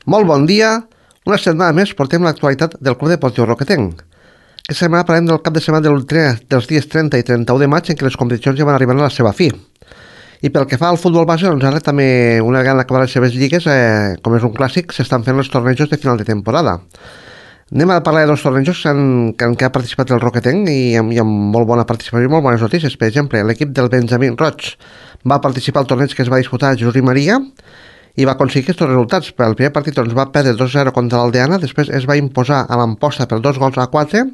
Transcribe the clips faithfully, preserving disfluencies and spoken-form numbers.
Molt bon dia. Una setmana més portem l'actualitat del Club Deportiu Roquetenc. Aquesta setmana parlem del cap de setmana del tre- dels dies trenta i trenta-u de maig en què les competicions ja van arribant a la seva fi. I pel que fa al futbol base, doncs ara també, una vegada acabar les seves lligues, eh, com és un clàssic, s'estan fent els tornejos de final de temporada. Anem a parlar de dos tornejos en, en què ha participat el Roquetenc i amb, i amb molt bona participació i molt bones notícies. Per exemple, l'equip del Benjamín Roig va participar al torneig que es va disputar a Jesús i Maria i va aconseguir aquests resultats. Per el primer partit doncs, va perdre dos a zero contra l'Aldeana, després es va imposar a l'Amposta per dos gols a quatre,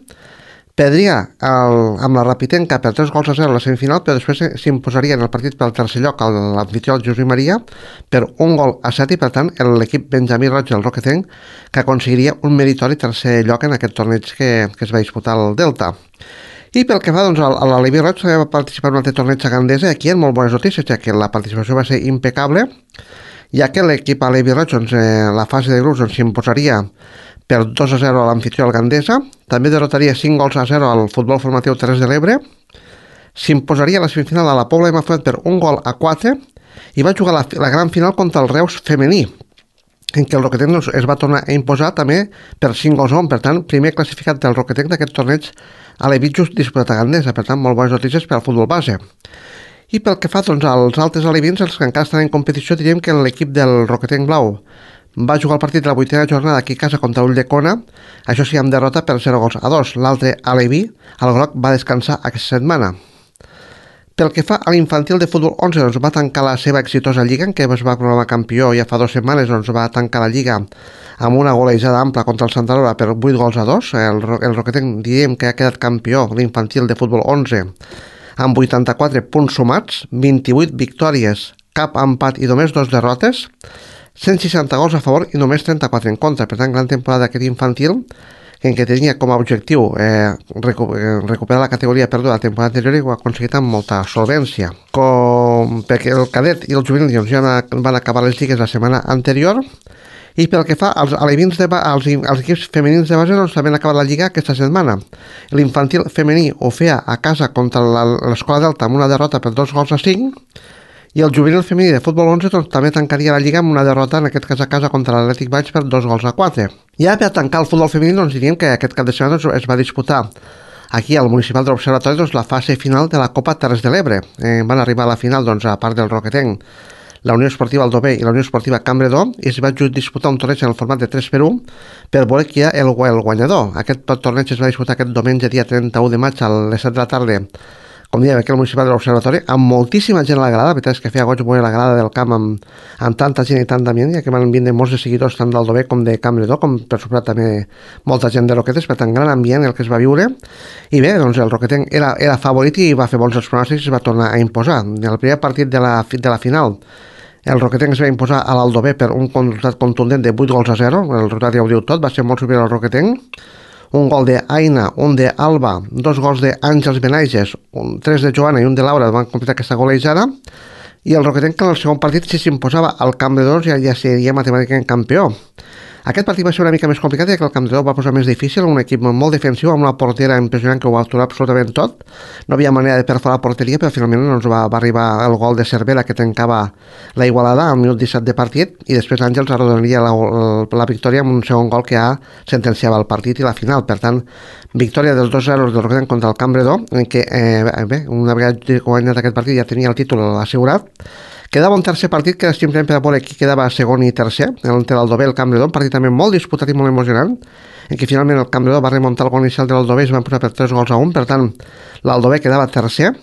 perdria el, amb la Rapitenca per tres gols a zero a la semifinal, però després s'imposaria en el partit pel tercer lloc a l'anfitrió Jesús i Maria per un gol a set i per tant l'equip Benjamí Roig del Roquetenc que aconseguiria un meritori tercer lloc en aquest torneig que, que es va disputar al Delta. I pel que fa doncs, a l'Alevi Roig va participar en un altre torneig a Gandesa, aquí en molt bones notícies, ja que la participació va ser impecable, ja que l'equip Alevi Roig doncs, eh, la fase de grups doncs, s'imposaria per dos a zero a l'anfitrió al Gandesa, també derrotaria cinc gols a zero al futbol formatiu Terres de l'Ebre, s'imposaria a la semifinal a la Pobla de Mafumet per un gol a quatre i va jugar la, la gran final contra el Reus femení, en què el Roquetenc doncs, es va tornar a imposar també per cinc gols a un, per tant, primer classificat del Roquetenc d'aquest torneig a l'Evitjus disputat a Gandesa, per tant, molt bones notícies per al futbol base. I pel que fa doncs, als altres alevins, els que encara estan en competició, diríem que l'equip del Roquetenc Blau va jugar el partit de la vuitena jornada aquí a casa contra Ulldecona, això sí, amb derrota per zero gols a dos. L'altre aleví, el groc, va descansar aquesta setmana. Pel que fa a l'infantil de futbol onze, doncs va tancar la seva exitosa lliga, en què es va proclamar campió ja fa dues setmanes, doncs va tancar la lliga amb una golejada ampla contra el Santa Laura per vuit gols a dos. El, el Roquetenc diríem que ha quedat campió l'infantil de futbol onze amb vuitanta-quatre punts sumats, vint-i-vuit victòries, cap empat i només dos derrotes, cent seixanta gols a favor i només trenta-quatre en contra. Per tant, gran temporada d'aquest infantil, en què tenia com a objectiu eh, recuperar la categoria perduda la temporada anterior i ho ha aconseguit amb molta solvència. Com perquè el cadet i el juvenil doncs, ja van acabar les lligues la setmana anterior. I pel que fa als, alevins de ba als, als equips femenins de base, doncs també han acabat la lliga aquesta setmana. L'infantil femení ho feia a casa contra l'Escola Delta amb una derrota per dos gols a cinc, i el juvenil femení de futbol onze doncs, també tancaria la lliga amb una derrota, en aquest cas a casa, contra l'Atlètic Valls per dos gols a quatre. Ja per tancar el futbol femení, doncs diríem que aquest cap de setmana doncs, es va disputar aquí al Municipal de l'Observatori doncs, la fase final de la Copa Terres de l'Ebre. Eh, van arribar a la final, doncs, a part del Roquetenc, la Unió Esportiva Aldover i la Unió Esportiva Campredó, i es va disputar un torneig en el format de tres per u per veure qui era el, el guanyador. Aquest torneig es va disputar aquest diumenge, dia trenta-u de maig, a les set de la tarda, com dèiem, aquí al Municipal de l'Observatori, amb moltíssima gent a la grada. La veritat és que feia goig veure la grada del camp amb, amb tanta gent i tant d'ambient, ja que van vindre molts de seguidors tant d'Aldover com de Campredó, com per suposar també molta gent de Roquetes, per tant, gran ambient el que es va viure. I bé, doncs el Roquetenc era, era favorit i va fer bons els pronòstics i es va tornar a imposar. En el primer partit de la, de la final, el Roquetenc es va imposar a l'Aldover per un resultat contundent de vuit gols a zero, el resultat ja ho diu tot, va ser molt superior al Roquetenc. Un gol d'Aina, un d'Alba, dos gols d'Àngels Benaiges, un, tres de Joana i un de Laura van completar aquesta golejada, i el Roquetenc en el segon partit, si s'imposava al Camp de Dors, ja, ja seria matemàticament campió. Aquest partit va ser una mica més complicat, ja que el Camp de Dors va posar més difícil, un equip molt defensiu, amb una portera impressionant que ho va aturar absolutament tot. No havia manera de perforar la porteria, però finalment doncs, va, va arribar el gol de Cervera, que tancava la igualada al minut disset de partit, i després Àngels arrodoniria la, la, la victòria amb un segon gol que ja sentenciava el partit i la final. Per tant, victòria dels dos zero del Roquetenc contra el Camp de Dors, en què, eh, bé, una vegada guanyat aquest partit ja tenia el títol assegurat. Quedava un tercer partit que era simplement per a veure qui quedava segon i tercer, entre l'Aldover i el Campredó, un partit també molt disputat i molt emocionant, en què finalment el Campredó va remuntar el gol inicial de l'Aldover i es van posar per tres gols a un, per tant l'Aldover quedava tercer,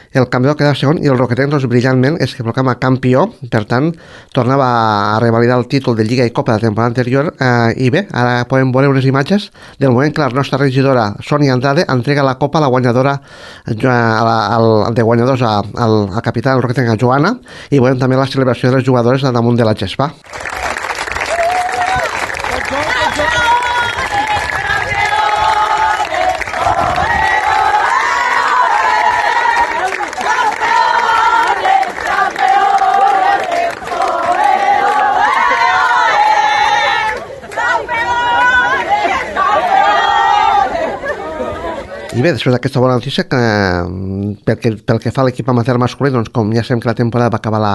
el Campredó quedava segon i el Roquetenc doncs, brillantment es que proclama campió, per tant tornava a revalidar el títol de Lliga i Copa de la temporada anterior, eh, i bé, ara podem veure unes imatges del moment que la nostra regidora Sònia Andrade entrega la Copa a la guanyadora a la, al, de guanyadors a, al, al capità del Roquetenc, a Joana, i veurem també la celebració de les jugadores al damunt de la gespa. I bé, després d'aquesta bona notícia, que, pel, que, pel que fa a l'equip amateur masculí, doncs com ja sabem que la temporada va acabar la,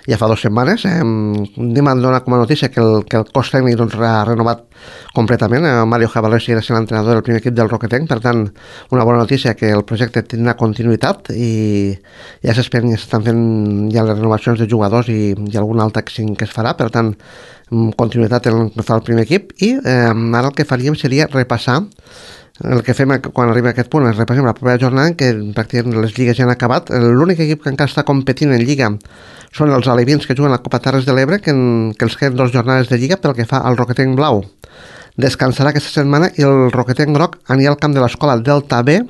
ja fa dues setmanes. Eh, anem a donar com a notícia que el, que el cos tècnic doncs, ha renovat completament. Eh, Mario Jabalés era l'entrenador del primer equip del Roquetenc, per tant, una bona notícia que el projecte tindrà continuïtat i ja s'esperen, ja s'estan fent ja les renovacions de jugadors i, i algun altre que, que es farà, per tant, continuïtat en el que fa el primer equip i eh, ara el que faríem seria repassar el que fem quan arriba a aquest punt, és repassem la propera jornada en què pràcticament les lligues ja han acabat. L'únic equip que encara està competint en lliga són els alevins que juguen a la Copa Terres de l'Ebre, que, en, que els queden dues jornades de lliga pel que fa al Roquetenc Blau. Descansarà aquesta setmana i el Roquetenc Groc anirà al camp de l'escola Delta B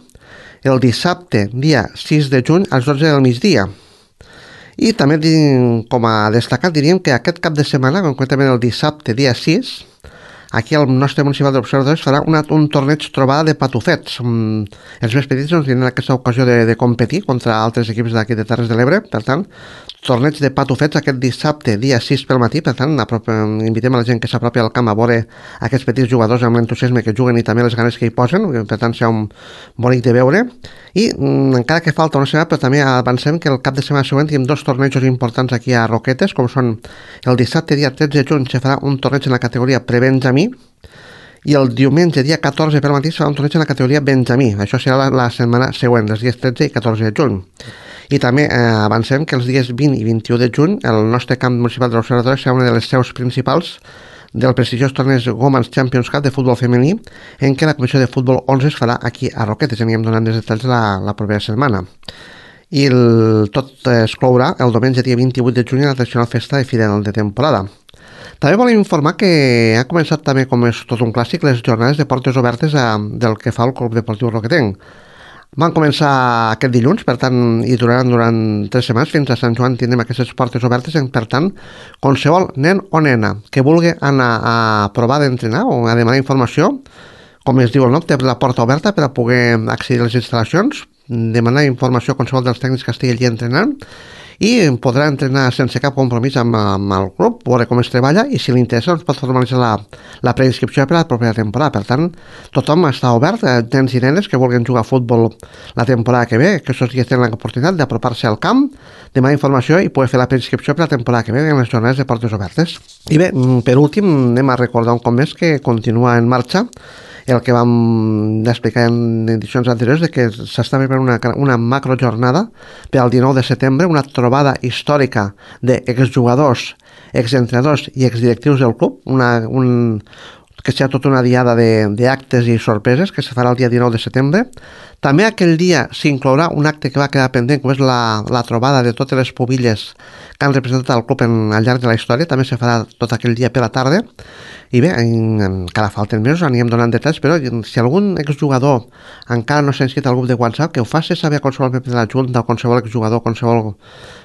el dissabte, dia sis de juny, als dotze del migdia. I també, com a destacat, diríem que aquest cap de setmana, concretament el dissabte, dia sis, aquí el nostre municipal d'observadors farà una, un torneig trobada de patufets. Um, els més petits doncs, tindran aquesta ocasió de, de competir contra altres equips d'aquí de Terres de l'Ebre. Per tant, torneig de patufets aquest dissabte, dia sis pel matí. Per tant, invitem a la gent que s'apropi al camp a veure aquests petits jugadors amb l'entusiasme que juguen i també les ganes que hi posen. Per tant, serà un bonic de veure. I um, encara que falta una setmana, però també avancem que el cap de setmana següent tenim dos tornejos importants aquí a Roquetes, com són el dissabte, dia tretze de juny, se farà un torneig en la categoria prebenjamí i el diumenge, dia catorze pel matí, serà un torneig en la categoria benjamí. Això serà la, la setmana següent, els dies tretze i catorze de juny. I també eh, avancem que els dies vint i vint-i-u de juny el nostre camp municipal de l'Observatori serà una de les seus principals del prestigiós torneig Women's Champions Cup de futbol femení, en què la comissió de futbol onze es farà aquí a Roquetes. Anirem donant els detalls la, la propera setmana. I el, tot es clourà el diumenge, dia vint-i-vuit de juny, a la tradicional festa de final de temporada. També volem informar que ha començat també, com és tot un clàssic, les jornades de portes obertes a, del que fa el Club Deportiu Roquetenc. Van començar aquest dilluns, per tant, i duraran durant tres setmanes, fins a Sant Joan tindrem aquestes portes obertes, en, per tant, qualsevol nen o nena que vulgui anar a provar d'entrenar o a demanar informació, com es diu el nom, té la porta oberta per a poder accedir a les instal·lacions, demanar informació a qualsevol dels tècnics que estigui allí entrenant, i podrà entrenar sense cap compromís amb, amb el club, veure com es treballa i si li interessa doncs pot formalitzar la, la preinscripció per a la propera temporada. Per tant, tothom està obert, eh, nens i nenes que vulguin jugar a futbol la temporada que ve, que aquests dies tenen l'oportunitat d'apropar-se al camp, demanar informació i poder fer la preinscripció per a la temporada que ve en les jornades de portes obertes. I bé, per últim, anem a recordar un cop més que continua en marxa el que vam explicar en edicions anteriors, de que s'està preparant una, una macrojornada per al dinou de setembre, una trobada històrica d'exjugadors, exentrenadors i exdirectius del club, una, un, que serà tota una diada d'actes i sorpreses que se farà el dia dinou de setembre. També aquell dia s'inclourà un acte que va quedar pendent, com és la, la trobada de totes les pubilles que han representat el club en, al llarg de la història. També se farà tot aquell dia per la tarda. I bé, encara falten mesos, anirem donant detalls, però si algun exjugador encara no s'ha inscrit al grup de WhatsApp, que ho faci saber a qualsevol membre de la Junta, o qualsevol exjugador, qualsevol,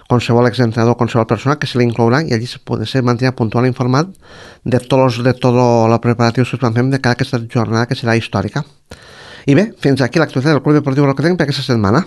qualsevol exentrenador, qualsevol persona, que se l'inclourà i allí se, se mantindrà puntual informat de tots de tot els preparatius que es van fer de cada aquesta jornada que serà històrica. I bé, fins aquí l'actualitat del Club Deportiu Roquetenc per aquesta setmana.